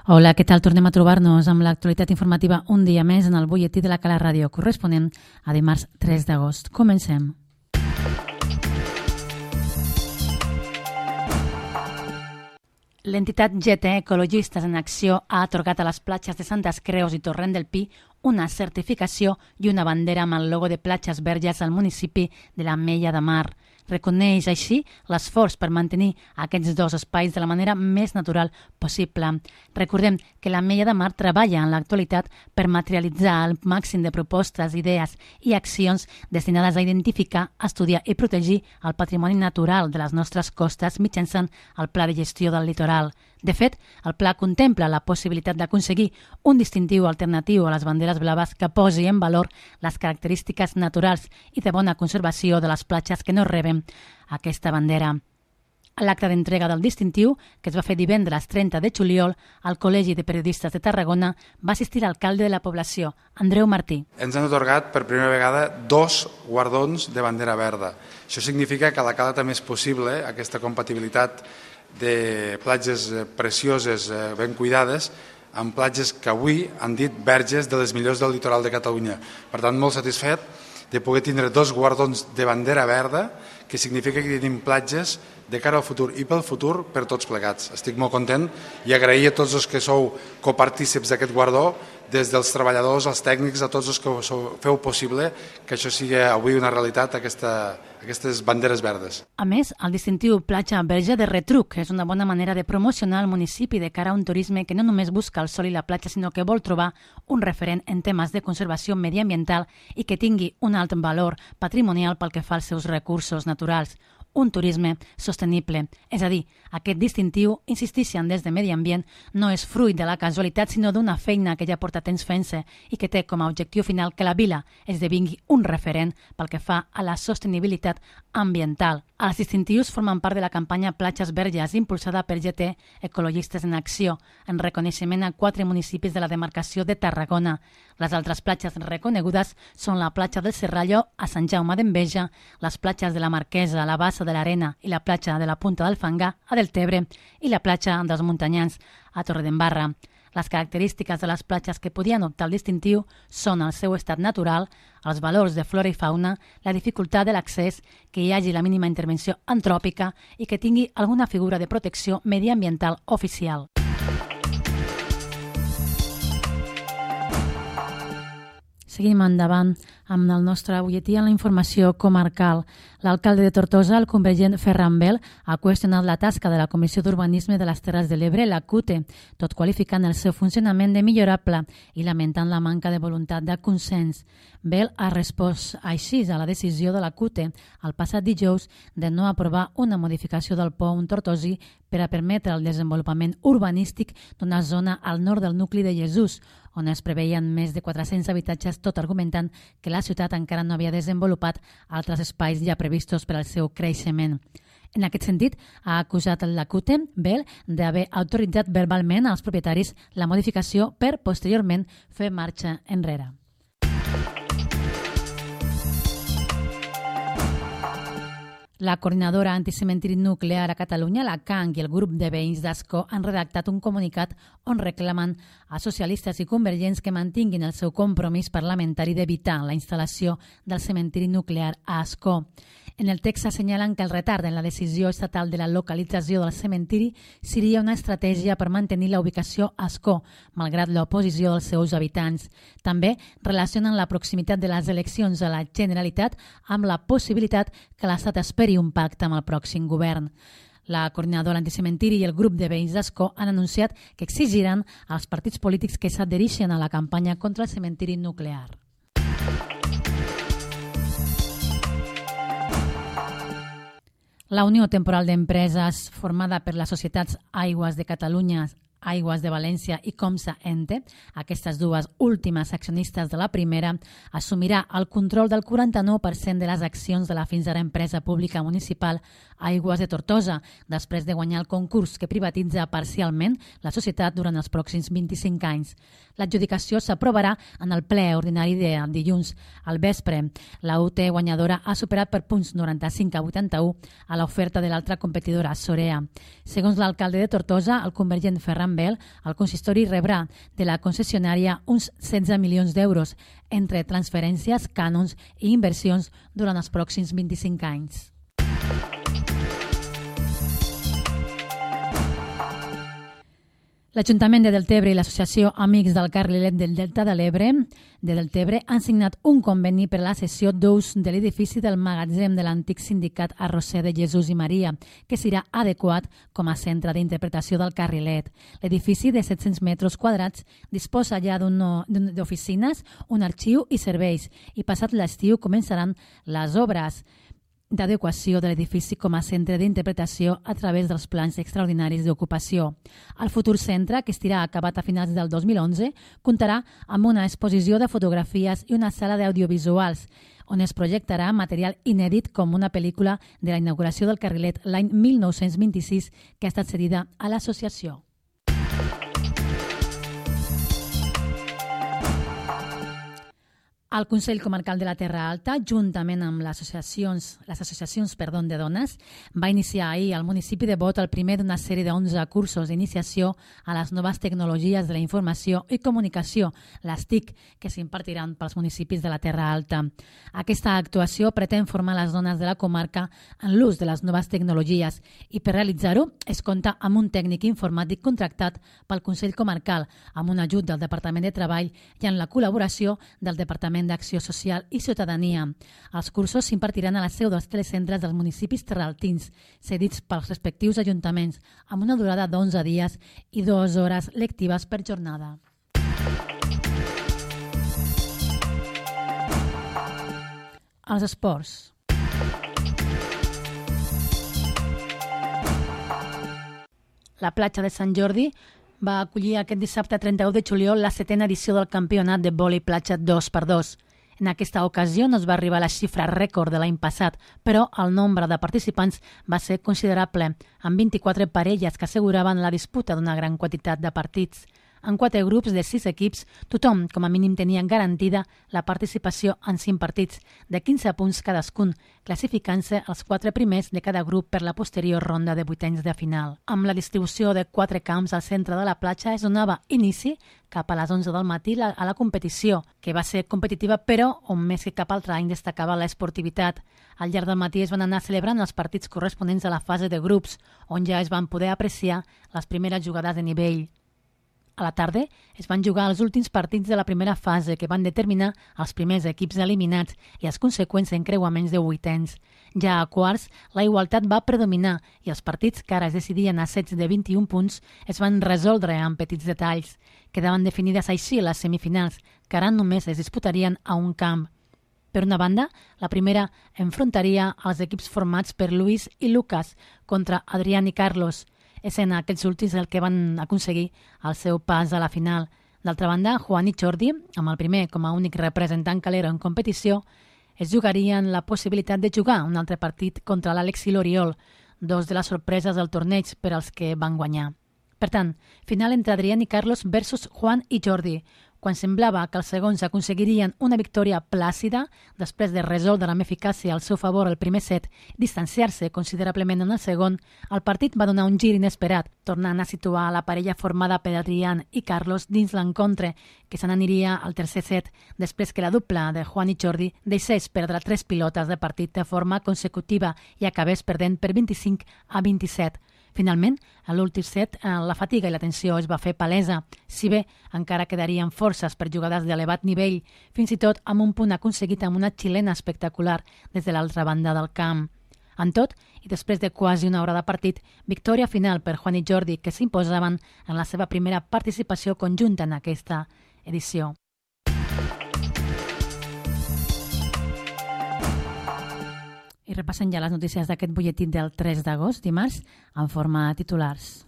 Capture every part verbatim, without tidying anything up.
Hola, què tal? Tornem a trobar-nos amb l'actualitat informativa un dia més en el butlletí de la Cala Ràdio, corresponent a dimarts tres d'agost. Comencem. L'entitat G T Ecologistes en Acció ha atorgat a les platges de Santes Creus i Torrent del Pi una certificació i una bandera amb el logo de Platges Verges al municipi de l'Ametlla de Mar. Reconeix així l'esforç per mantenir aquests dos espais de la manera més natural possible. Recordem que l'Ametlla de Mar treballa en l'actualitat per materialitzar el màxim de propostes, idees i accions destinades a identificar, estudiar i protegir el patrimoni natural de les nostres costes mitjançant el Pla de Gestió del Litoral. De fet, el pla contempla la possibilitat d'aconseguir un distintiu alternatiu a les banderes blaves que posi en valor les característiques naturals i de bona conservació de les platges que no reben aquesta bandera. A l'acte d'entrega del distintiu, que es va fer divendres trenta de juliol, al Col·legi de Periodistes de Tarragona va assistir l'alcalde de la població, Andreu Martí. Ens han atorgat per primera vegada dos guardons de bandera verda. Això significa que a la Cala també és possible aquesta compatibilitat de platges precioses, ben cuidades, amb platges que avui han dit verges de les millors del litoral de Catalunya. Per tant, molt satisfet de poder tindre dos guardons de bandera verda, que significa que tenim platges de cara al futur i pel futur per tots plegats. Estic molt content i agrair a tots els que sou copartícips d'aquest guardó, des dels treballadors, als tècnics, a tots els que feu possible que això sigui avui una realitat, aquesta, aquestes banderes verdes. A més, el distintiu Platja Verge de Retruc és una bona manera de promocionar el municipi de cara a un turisme que no només busca el sol i la platja, sinó que vol trobar un referent en temes de conservació mediambiental i que tingui un alt valor patrimonial pel que fa als seus recursos naturals. Un turisme sostenible. És a dir, aquest distintiu, insistixen des de Medi Ambient, no és fruit de la casualitat, sinó d'una feina que ja porta temps fent-se i que té com a objectiu final que la vila esdevingui un referent pel que fa a la sostenibilitat ambiental. Els distintius formen part de la campanya Platges Verges, impulsada per G T Ecologistes en Acció, en reconeixement a quatre municipis de la demarcació de Tarragona. Les altres platges reconegudes són la platja del Serrallo a Sant Jaume d'Enveja, les platges de la Marquesa, a la Bassa de l'Arena i la platja de la Punta del Fangar a Deltebre i la platja dels Muntanyans a Torredembarra. Les característiques de les platges que podien optar al distintiu són el seu estat natural, els valors de flora i fauna, la dificultat de l'accés, que hi hagi la mínima intervenció antròpica i que tingui alguna figura de protecció mediambiental oficial. Seguim endavant amb el nostre butlletí en la informació comarcal. L'alcalde de Tortosa, el convergent Ferran Bel, ha qüestionat la tasca de la Comissió d'Urbanisme de les Terres de l'Ebre, la C U T E, tot qualificant el seu funcionament de millorable i lamentant la manca de voluntat de consens. Bel ha respost així a la decisió de la C U T E el passat dijous de no aprovar una modificació del pont tortosí per a permetre el desenvolupament urbanístic d'una zona al nord del nucli de Jesús, on es preveien més de quatre-cents habitatges, tot argumentant que la ciutat encara no havia desenvolupat altres espais ja previstos per al seu creixement. En aquest sentit, ha acusat la C U T E, Bel, d'haver autoritzat verbalment als propietaris la modificació per, posteriorment, fer marxa enrere. La coordinadora anticementiri nuclear a Catalunya, la C A N, i el grup de veïns d'Ascó han redactat un comunicat on reclamen a socialistes i convergents que mantinguin el seu compromís parlamentari d'evitar la instal·lació del cementiri nuclear a Ascó. En el text assenyalen que el retard en la decisió estatal de la localització del cementiri seria una estratègia per mantenir la ubicació a Ascó, malgrat l'oposició dels seus habitants. També relacionen la proximitat de les eleccions a la Generalitat amb la possibilitat que l'Estat esperi un pacte amb el pròxim govern. La coordinadora anticementiri i el grup de veïns d'Ascó han anunciat que exigiran als partits polítics que s'adhereixen a la campanya contra el cementiri nuclear. La Unió Temporal d'Empreses, formada per les societats Aigües de Catalunya, Aigües de València i Comsa Ente, aquestes dues últimes accionistes de la primera, assumirà el control del quaranta-nou per cent de les accions de la fins ara empresa pública municipal Aigües de Tortosa, després de guanyar el concurs que privatitza parcialment la societat durant els pròxims vint-i-cinc anys. L'adjudicació s'aprovarà en el ple ordinari de dilluns al vespre. La U T guanyadora ha superat per punts noranta-cinc a vuitanta-u a l'oferta de l'altra competidora, Sorea. Segons l'alcalde de Tortosa, el convergent Ferran amb ell, el consistori rebrà de la concessionària uns setze milions d'euros entre transferències, cànons i inversions durant els pròxims vint-i-cinc anys. L'Ajuntament de Deltebre i l'Associació Amics del Carrilet del Delta de l'Ebre de Deltebre han signat un conveni per a la cessió d'ús de l'edifici del magatzem de l'antic sindicat Arrosser de Jesús i Maria, que serà adequat com a centre d'interpretació del carrilet. L'edifici de set-cents metres quadrats disposa ja d'oficines, un arxiu i serveis, i passat l'estiu començaran les obres d'adequació de l'edifici com a centre d'interpretació a través dels plans extraordinaris d'ocupació. El futur centre, que estarà acabat a finals del dos mil onze, comptarà amb una exposició de fotografies i una sala d'audiovisuals, on es projectarà material inèdit com una pel·lícula de la inauguració del carrilet l'any mil nou-cents vint-i-sis, que ha estat cedida a l'associació. El Consell Comarcal de la Terra Alta, juntament amb les associacions, les associacions perdó, de dones, va iniciar ahir al municipi de Bot el primer d'una sèrie d'onze cursos d'iniciació a les noves tecnologies de la informació i comunicació, les T I C, que s'impartiran pels municipis de la Terra Alta. Aquesta actuació pretén formar les dones de la comarca en l'ús de les noves tecnologies i per realitzar-ho es compta amb un tècnic informàtic contractat pel Consell Comarcal, amb un ajut del Departament de Treball i en la col·laboració del Departament d'Acció Social i Ciutadania. Els cursos s'impartiran a la seu dels telecentres dels municipis terraltins, cedits pels respectius ajuntaments, amb una durada d'onze dies i dues hores lectives per jornada. Els esports. La platja de Sant Jordi va acollir aquest dissabte trenta-u de juliol la setena edició del campionat de vòlei platja dos per dos. En aquesta ocasió no es va arribar a la xifra rècord de l'any passat, però el nombre de participants va ser considerable, amb vint-i-quatre parelles que asseguraven la disputa d'una gran quantitat de partits. En quatre grups de sis equips, tothom com a mínim tenia garantida la participació en cinc partits, de quinze punts cadascun, classificant-se els quatre primers de cada grup per la posterior ronda de vuitens de final. Amb la distribució de quatre camps al centre de la platja es donava inici cap a les onze del matí a la competició, que va ser competitiva però on més que cap altre any destacava l'esportivitat. Al llarg del matí es van anar celebrant els partits corresponents a la fase de grups, on ja es van poder apreciar les primeres jugades de nivell. A la tarda es van jugar els últims partits de la primera fase que van determinar els primers equips eliminats i els conseqüents encreuaments de vuitens. Ja a quarts, la igualtat va predominar i els partits que ara es decidien a sets de vint-i-un punts es van resoldre amb petits detalls. Quedaven definides així les semifinals, que ara només es disputarien a un camp. Per una banda, la primera enfrontaria els equips formats per Luis i Lucas contra Adrián i Carlos, essent aquests últims el que van aconseguir el seu pas a la final. D'altra banda, Juan i Jordi, amb el primer com a únic representant calero en competició, es jugarien la possibilitat de jugar un altre partit contra l'Àlex i l'Oriol, dos de les sorpreses del torneig per als que van guanyar. Per tant, final entre Adrián i Carlos versus Juan i Jordi, quan semblava que els segons aconseguirien una victòria plàcida, després de resoldre amb eficàcia al seu favor el primer set, distanciar-se considerablement en el segon, el partit va donar un gir inesperat, tornant a situar la parella formada per Adrián i Carlos dins l'encontre, que se n'aniria al tercer set, després que la dupla de Juan i Jordi deixés perdre tres pilotes de partit de forma consecutiva i acabés perdent per vint-i-cinc a vint-i-set. Finalment, a l'últim set, la fatiga i la tensió es va fer palesa, si bé encara quedarien forces per jugades d'elevat nivell, fins i tot amb un punt aconseguit amb una xilena espectacular des de l'altra banda del camp. En tot, i després de quasi una hora de partit, victòria final per Juan i Jordi, que s'imposaven en la seva primera participació conjunta en aquesta edició. I repassen ja les notícies d'aquest butlletí del tres d'agost, dimarts, en forma de titulars.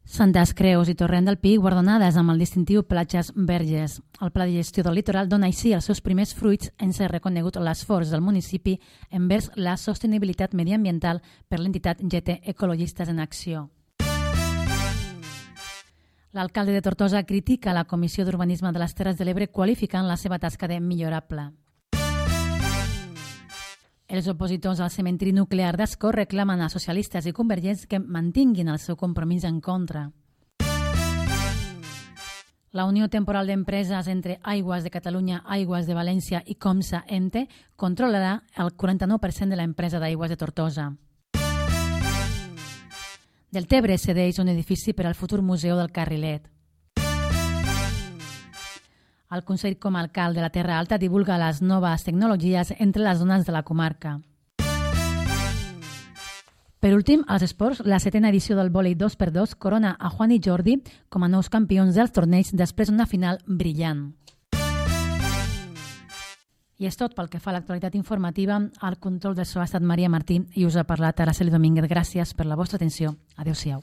Santes Creus i Torrent del Pi guardonades amb el distintiu Platges Verges. El Pla de Gestió del Litoral dona així els seus primers fruits en ser reconegut l'esforç del municipi envers la sostenibilitat mediambiental per l'entitat G T Ecologistes en Acció. L'alcalde de Tortosa critica la Comissió d'Urbanisme de les Terres de l'Ebre qualificant la seva tasca de millorable. Els opositors al cementiri nuclear d'Ascó reclamen a socialistes i convergents que mantinguin el seu compromís en contra. La Unió Temporal d'Empreses entre Aigües de Catalunya, Aigües de València i Comsa Ente controlarà el quaranta-nou per cent de l'empresa d'Aigües de Tortosa. Deltebre cedeix un edifici per al futur Museu del Carrilet. El Consell Comarcal de la Terra Alta divulga les noves tecnologies entre les zones de la comarca. Per últim, als esports, la setena edició del vòlei dos per dos corona a Juan i Jordi com a nous campions dels torneigs després d'una final brillant. I és tot pel que fa a l'actualitat informativa. Al control de so ha estat Maria Martí i us ha parlat Araceli Domínguez. Gràcies per la vostra atenció. Adéu-siau.